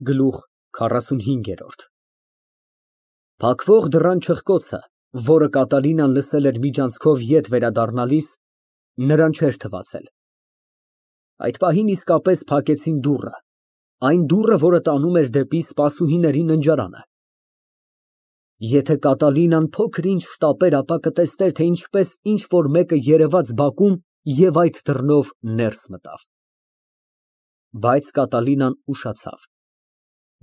Գլուխ քառասունհինգերորդ Փակվող դռան չխկոցը, որը Կատալինան լսել էր միջանցքով ետ վերադառնալիս, նրան չէր թվացել։ Այդ պահին իսկապես փակեցին դուռը, այն դուռը, որը տանում էր դեպի սպասուհիների ննջարանը։ Եթե Կատալինան փոքր-ինչ շտապեր, ապա կտեսներ, թե ինչպես ինչ֊որ մեկը երևաց բակում և այդ դռնով ներս մտավ։ Բայց Կատալինան ուշացավ։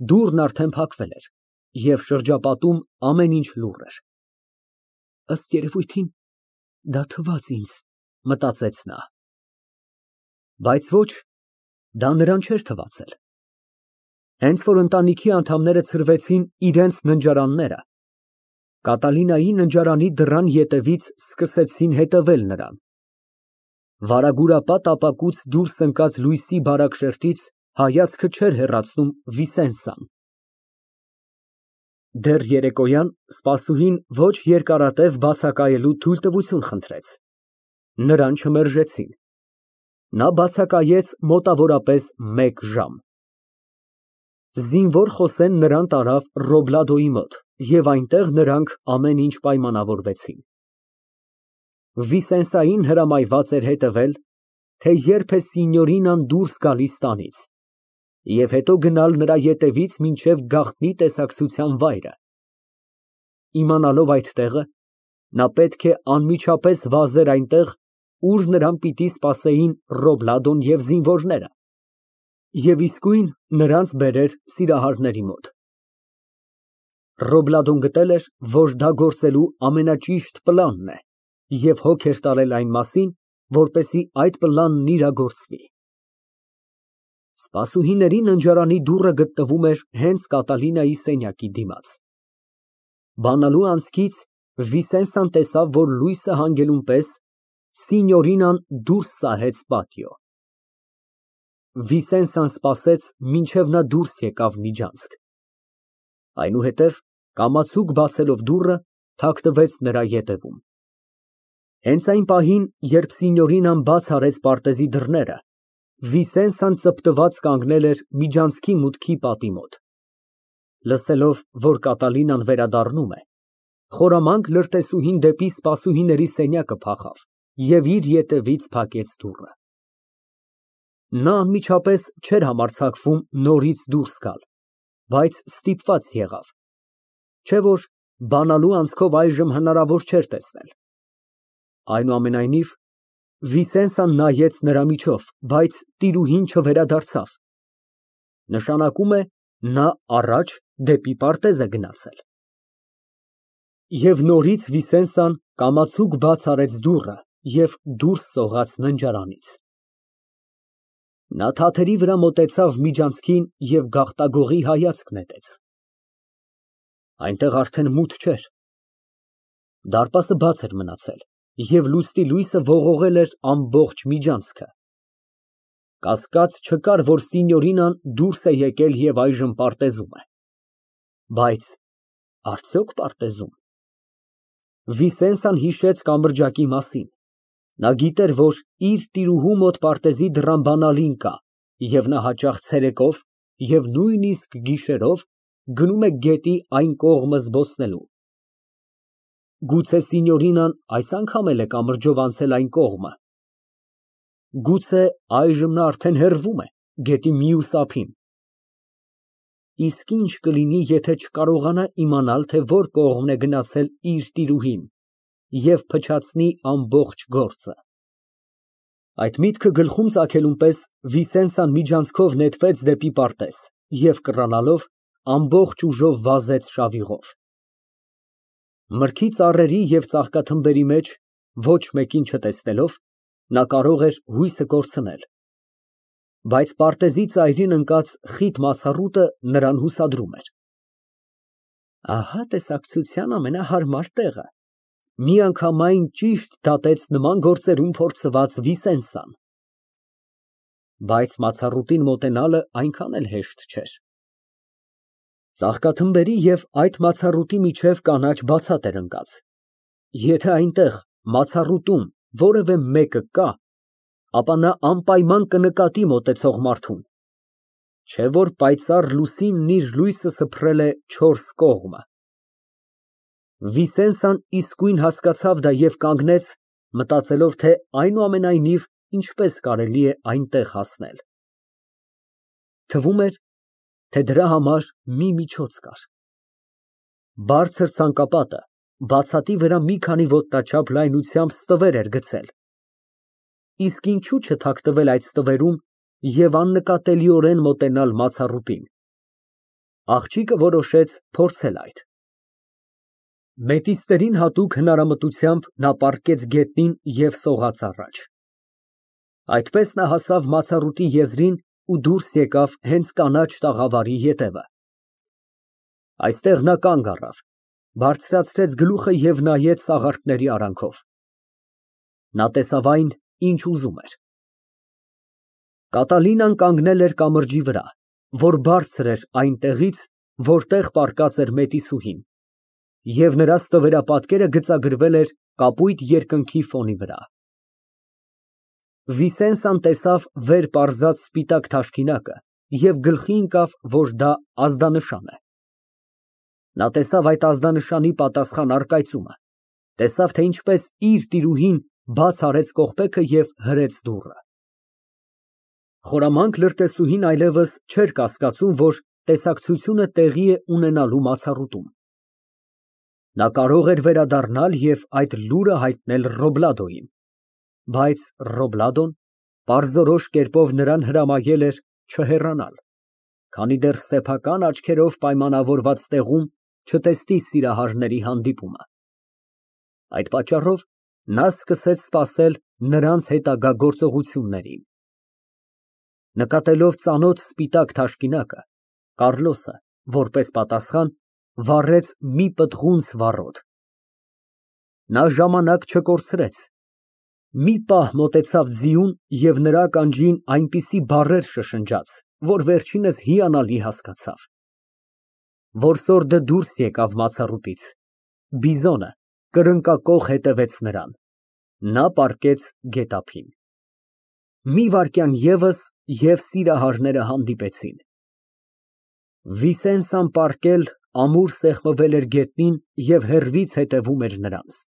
Դուռն արդեն փակվել էր, և շրջապատում ամեն ինչ լուռ էր։ Ըստ երևույթին, դա թվաց ինձ, մտածեց նա։ Բայց ոչ, դա նրան չէր թվացել։ Հենց որ ընտանիքի անդամները ցրվեցին իրենց ննջարանները, Կատալինայի ննջարանի դռան ետևից սկսեցին հետևել նրան։ Վարագուրապատ ապակուց դուրս ընկած լույսի բարակ շերտից հայացքը չէր հեռացնում Վիսենսան։ Դեռ երեկոյան սպասուհին ոչ երկարատև բացակայելու թույլտվություն խնդրեց։ Նրան չմերժեցին։ Նա բացակայեց մոտավորապես 1 ժամ։ Զինվոր Խոսեն նրան տարավ Ռոբլադոյի մոտ, և այնտեղ նրանք ամեն ինչ պայմանավորվեցին։ Վիսենսային հրամայված էր հետևել, թե երբ է Սինյորինան դուրս գալիս տանից, և հետո գնալ նրա ետևից մինչև գաղտնի տեսակցության վայրը։ Իմանալով այդ տեղը, նա պետք է անմիջապես վազեր այնտեղ, ուր նրան պիտի սպասեին Ռոբլադոն և զինվորները, և իսկույն նրանց բերեր Սիրահարների մոտ։ Ռոբլադոն գտել էր, որ դա գործելու ամենաճիշտ պլանն է և հոգ էր տալել այն մասին, որպեսզի այդ պլանն իրագործվի։ Սպասուհիների ննջարանի դուռը գտնվում էր հենց Կատալինայի սենյակի դիմաց։ Բանալու անցքից Վիսենսան տեսավ, որ լույսը հանգելուն պես Սինյորինան դուրս սահեց պատիո։ Վիսենսան սպասեց, մինչև նա դուրս եկավ միջանցք։ Այնուհետև, կամացուկ բացելով դուռը, թաքնվեց նրա ետևում։ Հենց այն պահին, երբ Սինյորինան բաց արեց պարտեզի դռները, Վիսենսան ծպտված կանգնել էր միջանցքի մուտքի պատի մոտ։ Լսելով, որ Կատալինան վերադառնում է, խորամանկ լրտեսուհին դեպի սպասուհիների սենյակը փախավ և իր ետևից փակեց դուռը։ Նա անմիջապես չէր համարձակվում նորից դուրս գալ, բայց ստիպված եղավ, չէ՞ որ բանալու անցքով այժմ հնարավոր չէր տեսնել։ Այնուամենայնիվ, Վիսենսան նայեց նրա միջով, բայց տիրուհին չվերադարձավ։ Նշանակում է, նա առաջ դեպի պարտեզ է գնացել։ Եվ նորից Վիսենսան կամացուկ բաց արեց դուռը և դուրս սողաց ննջարանից։ Նա թաթերի վրա մոտեցավ միջանցքին և գաղտագողի հայացք նետեց։ Այնտեղ արդեն մութ չէր։ Դարպասը բաց էր մնացել, և լուսնի լույսը ողողել էր ամբողջ միջանցքը։ Կասկած չկար, որ Սինյորինան դուրս է եկել և այժմ պարտեզում է։ Բայց արդյոք պարտեզում։ Վիսենսան հիշեց կամրջակի մասին։ Նա գիտեր, որ իր տիրուհու մոտ պարտեզի դռան բանալին կա, և նա հաճախ ցերեկով և նույնիսկ գիշերով գնում է գետի այն կողմը զբոսնելու։ Գուցե Սինյորինան այս անգամ էլ է կամրջով անցել այն կողմը։ Գուցե այժմ նա արդեն հեռվում է գետի մյուս ափին։ Իսկ ինչ կլինի, եթե չկարողանա իմանալ, թե որ կողմն է գնացել իր տիրուհին և փչացնի ամբողջ գործը։ Այդ միտքը գլխում ծագելուն պես Վիսենսան միջանցքով նետվեց դեպի պարտեզ և կռանալով ամբողջ ուժով վազեց շավիղով։ Մրգի ծառերի և ծաղկաթմբերի մեջ ոչ մեկին չտեսնելով, նա կարող էր հույսը կորցնել։ Բայց պարտեզի ծայրին ընկած խիտ մացառուտը նրան հուսադրում էր։ Ահա տեսակցության ամենահարմար տեղը, միանգամայն ճիշտ դատեց նման գործերում փորձված Վիսենսան։ Բայց մացառուտին մոտենալը այնքան էլ հեշտ չէր։ Ծաղկաթմբերի և այդ մացառուտի միջև կանաչ բացատ էր ընկած։ Եթե այնտեղ, մացառուտում, որևէ մեկը կա, ապա նա անպայման կնկատի մոտեցող մարդուն։ Չէ որ պայծառ լուսինն իր լույսը սփռել է չորս կողմը։ Վիսենսան իսկույն հասկացավ դա և կանգնեց, մտածելով, թե այնուամենայնիվ ինչպես կարելի է այնտեղ հասնել։ Թվում էր, թե դրա համար մի միջոց կար։ Բարձր ցանկապատը բացատի վրա մի քանի ոտնաչափ լայնությամբ ստվեր էր գցել, իսկ ինչու չթաքնվել այդ ստվերում և աննկատելիորեն մոտենալ մացառուտին։ Աղջիկը որոշեց փորձել այդ։ Մետիսներին հատուկ հնարամտությամբ նա պառկեց գետնին և սողաց առաջ։ Այդպես նա հասավ մացառուտի եզրին ու դուրս եկավ հենց կանաչ տաղավարի ետևը։ Այստեղ նա կանգ առավ, բարձրացրեց գլուխը և նայեց սաղարթների արանքով։ Նա տեսավ այն, ինչ ուզում էր։ Կատալինան կանգնել էր կամրջի վրա, որ բարձր էր այն տեղից, որտեղ պառկած էր մետիսուհին, և նրա ստվերապատկերը գծագրվել էր կապույտ երկնքի ֆոնի վրա։ Վիսենսան տեսավ վեր պարզած սպիտակ թաշկինակը և գլխի ընկավ, որ դա ազդանշան է։ Նա տեսավ այդ ազդանշանի պատասխան առկայծումը, տեսավ, թե ինչպես իր տիրուհին բաց արեց կողպեքը և հրեց դուռը։ Խորամանկ լրտեսուհին այլևս չէր կասկածում, որ տեսակցությունը տեղի է ունենալու մացառուտում։ Նա կարող էր վերադառնալ և այդ լուրը հայտնել Ռոբլադոյին, բայց Ռոբլադոն պարզորոշ կերպով նրան հրամայել էր չհեռանալ, քանի դեռ սեփական աչքերով պայմանավորված տեղում չտեսնի սիրահարների հանդիպումը։ Այդ պատճառով նա սկսեց սպասել նրանց հետագա գործողություններին։ Նկատելով ծանոթ սպիտակ թաշկինակը, Կառլոսը, որպես պատասխան, վառեց մի պտղունց վառոդ։ Նա ժամանակ չկորցրեց, մի պահ մոտեցավ ձիուն և նրա ականջին այնպիսի բառեր շշնջաց, որ վերջինս հիանալի հասկացավ։ Որսորդը դուրս եկավ մացառուտից, բիզոնը կրկնակոխ հետևեց նրան։ Նա պառկեց գետափին։ Մի վայրկյան ևս, և սիրահարները հանդիպեցին։ Վիսենսան պառկել, ամուր սեղմվել էր գետնին և հեռվից հետևում էր նրանց։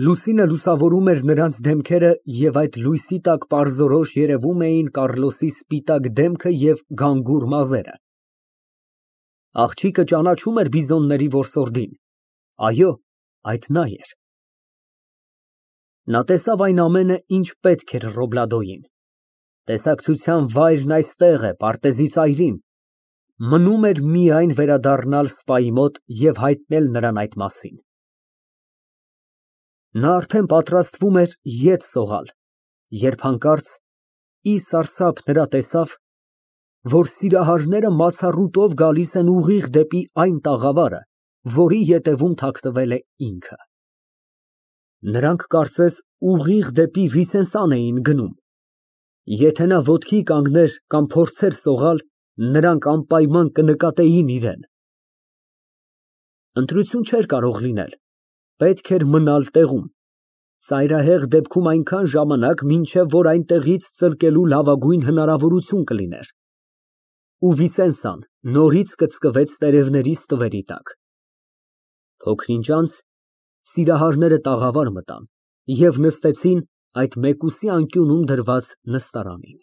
Լուսինը լուսավորում էր նրանց դեմքերը և այդ լույսի տակ պարզորոշ երևում էին Կառլոսի սպիտակ դեմքը և գանգուր մազերը։ Աղջիկը ճանաչում էր բիզոնների որսորդին։ Այո, այդ նա էր։ Նա տեսավ այն ամենը, ինչ պետք էր Ռոբլադոյին։ Տեսակցության վայրն այստեղ է, պարտեզի ծայրին։ Մնում էր միայն վերադառնալ սպայի մոտ և հայտնել նրան այդ մասին։ Նա արդեն պատրաստվում էր ետ սողալ, երբ հանկարծ ի սարսափ նրա տեսավ, որ սիրահարները մացառուտով գալիս են ուղիղ դեպի այն տաղավարը, որի ետևում թաքնվել է ինքը։ Նրանք կարծես ուղիղ դեպի Վիսենսան էին գնում։ Եթե նա ոտքի կանգներ կամ փորձեր սողալ, նրանք անպայման կնկատեին իրան։ Ընտրություն չէր կարող լինել, պետք էր մնալ տեղում, ծայրահեղ դեպքում այնքան ժամանակ, մինչև որ այնտեղից ծլկելու լավագույն հնարավորություն կլիներ։ Ու Վիսենսան նորից կծկվեց տերևների ստվերի տակ։ Փոքր ինչ անց սիրահարները տաղավար մտան և նստեցին այդ մեկուսի անկյունում դրված նստարանին։